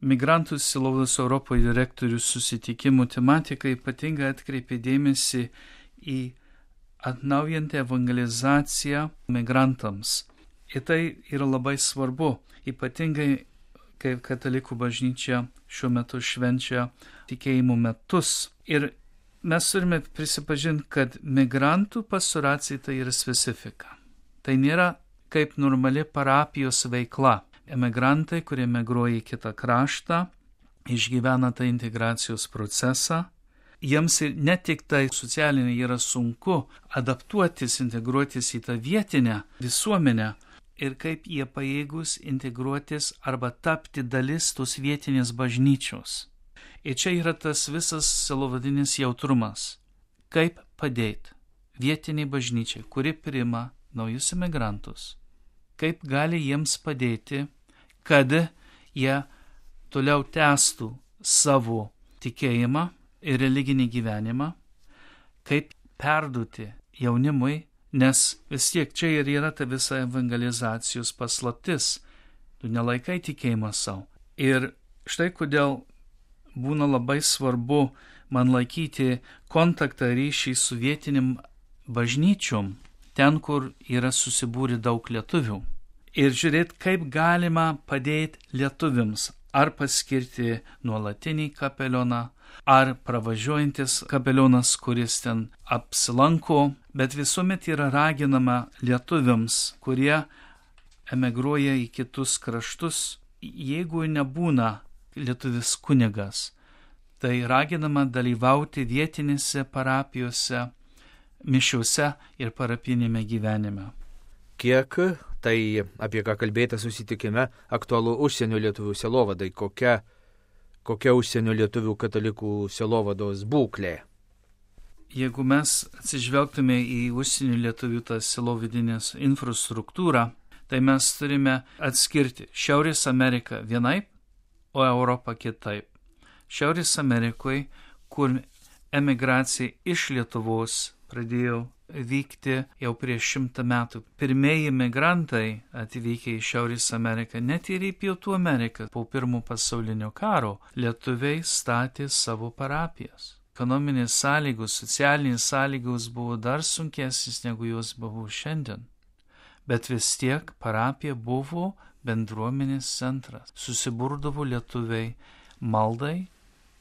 Migrantų sielovados Europoje direktorių susitikimų tematika ypatingai atkreipė dėmesį į atnaujantą evangelizaciją migrantams. Ir tai yra labai svarbu, ypatingai kai katalikų bažnyčia šiuo metu švenčia tikėjimo metus. Ir mes turime prisipažinti, kad migrantų pastoracija tai yra specifika. Tai nėra kaip normali parapijos veikla. Emigrantai, kurie migruoja į kitą kraštą, išgyvena tą integracijos procesą. Jiems ne tik tai socialiniai yra sunku adaptuotis, integruotis į tą vietinę visuomenę ir kaip jie pajėgus integruotis arba tapti dalis tos vietinės bažnyčios. Ir čia yra tas visas sielovadinis jautrumas. Kaip padėti vietiniai bažnyčiai, kuri priima naujus emigrantus. Kaip gali jiems padėti, kad jie toliau tęstų savo tikėjimą ir religinį gyvenimą, kaip perduoti jaunimui, nes vis tiek čia ir yra ta visa evangelizacijos paslaptis. Tu nelaikai tikėjimą savo. Ir štai kodėl būna labai svarbu man laikyti kontaktą ryšį su vietinim bažnyčiom, ten, kur yra susibūrę daug lietuvių. Ir žiūrėti, kaip galima padėti lietuviams, ar paskirti nuolatinį kapelioną, ar pravažiuojantis kapelionas, kuris ten apsilanko, bet visuomet yra raginama lietuviams, kurie emigruoja į kitus kraštus, jeigu nebūna lietuvis kunigas, tai raginama dalyvauti vietinėse parapijose, mišiuose ir parapinėme gyvenime. Kiek tai, apie ką kalbėta susitikime, aktualu užsienio lietuvių sielovadai, kokia užsienio lietuvių katalikų sielovados būklė? Jeigu mes atsižvelgtume į užsienio lietuvių tą sielovadinės infrastruktūrą, tai mes turime atskirti Šiaurės Ameriką vienaip, o Europą kitaip. Šiaurės Amerikoje, kur emigracija iš Lietuvos pradėjo vykti jau prieš 100 metų. Pirmieji migrantai atvykę į Šiaurės Ameriką, net ir į Pietų Ameriką po Pirmo pasaulinio karo, lietuviai statė savo parapijas. Ekonominės sąlygos, socialinės sąlygos buvo dar sunkesnės negu jos buvo šiandien. Bet vis tiek parapija buvo bendruomenės centras. Susiburdavo lietuviai maldai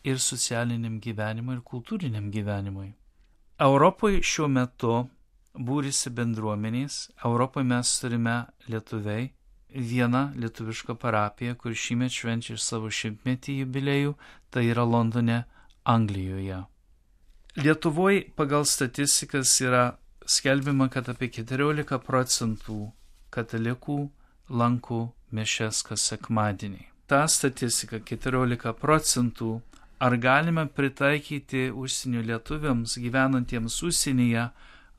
ir socialiniam gyvenimui ir kultūriniam gyvenimui. Europoje šiuo metu būrisi bendruomenės. Europoje mes turime lietuviai vieną lietuvišką parapiją, kur šįmet švenčia savo 100-metį jubiliejų, tai yra Londone, Anglijoje. Lietuvoje pagal statistikas yra skelbiama, kad apie 14% katalikų lanko mišias kas sekmadienį. Ta statistika 14%. Ar galime pritaikyti užsienio lietuviams gyvenantiems užsienyje,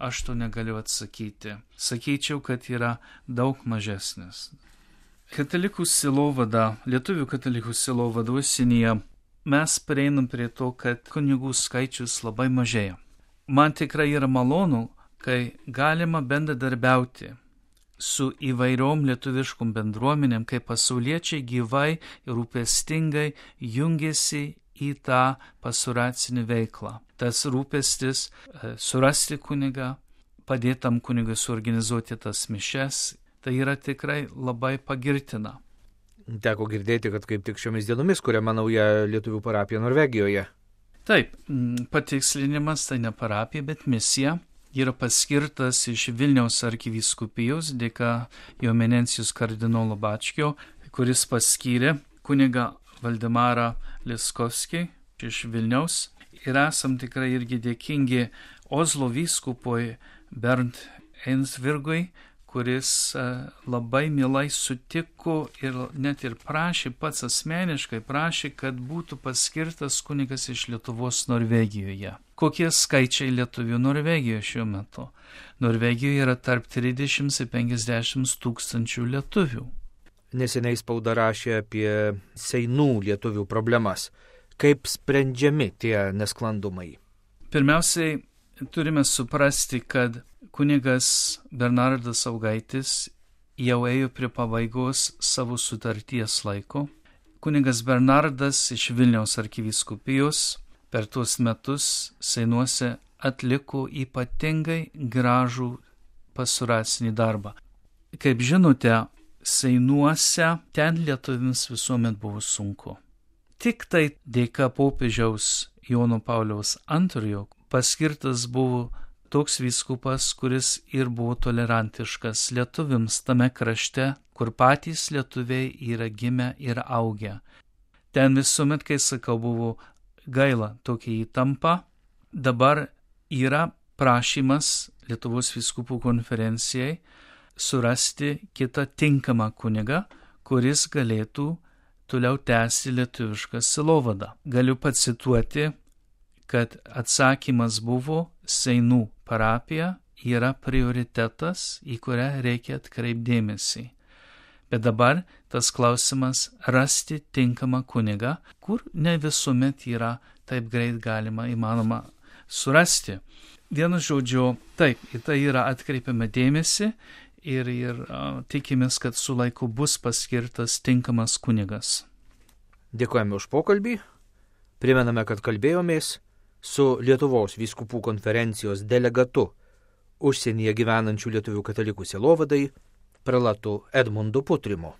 aš to negaliu atsakyti. Sakyčiau, kad yra daug mažesnis. Katalikų sielovada, lietuvių katalikų sielovada užsienyje, mes prieinam prie to, kad kunigų skaičius labai mažėja. Man tikrai yra malonu, kai galima bendradarbiauti su įvairiom lietuviškom bendruomenėm, kai pasauliečiai gyvai ir rūpestingai jungiasi į tą pastoracinį veiklą. Tas rūpestis surasti kunigą, padėtam kunigui suorganizuoti tas mišias, tai yra tikrai labai pagirtina. Teko girdėti, kad kaip tik šiomis dienomis kuriama nauja lietuvių parapija Norvegijoje. Taip, patikslinimas tai ne parapija, bet misija. Yra paskirtas iš Vilniaus arkivyskupijos dėka jo eminencijos kardinolo Bačkio, kuris paskyrė kunigą Valdemarą Liskovskį iš Vilniaus. Ir esam tikrai irgi dėkingi Oslo vyskupui Bernd Einsvirgui, kuris labai mielai sutiko ir net ir prašė, pats asmeniškai prašė, kad būtų paskirtas kunigas iš Lietuvos Norvegijoje. Kokie skaičiai lietuvių Norvegijoje šiuo metu? Norvegijoje yra tarp 30 ir 50 tūkstančių lietuvių. Neseniai spauda rašė apie seinų lietuvių problemas. Kaip sprendžiami tie nesklandumai? Pirmiausiai, turime suprasti, kad kunigas Bernardas Saugaitis jau ėjo prie pabaigos savo sutarties laiko. kunigas Bernardas iš Vilniaus arkivyskupijos per tuos metus Seinuose atliko ypatingai gražų pastoracinį darbą. Kaip žinote, Seinuose ten lietuviams visuomet buvo sunku. Tik tai dėka popiežiaus Jono Pauliaus II paskirtas buvo toks vyskupas, kuris ir buvo tolerantiškas lietuviams tame krašte, kur patys lietuviai yra gimę ir augę. Ten visuomet, kai sakau, buvo gaila tokia įtampa. Dabar yra prašymas Lietuvos vyskupų konferencijai surasti kitą tinkamą kunigą, kuris galėtų toliau tęsti lietuvišką sielovadą. Galiu pacituoti, kad atsakymas buvo: Seinų parapija yra prioritetas, į kurią reikia atkreipdėmėsi. Bet dabar tas klausimas rasti tinkamą kunigą, kur ne visuomet yra taip greit įmanoma surasti. Vienu žodžiu, taip, į tai yra atkreipiama dėmesį ir tikimės, kad su laiku bus paskirtas tinkamas kunigas. Dėkojame už pokalbį. Primename, kad kalbėjomės su Lietuvos vyskupų konferencijos delegatu užsienyje gyvenančių lietuvių katalikų sielovadai prelatu Edmundu Putrimu.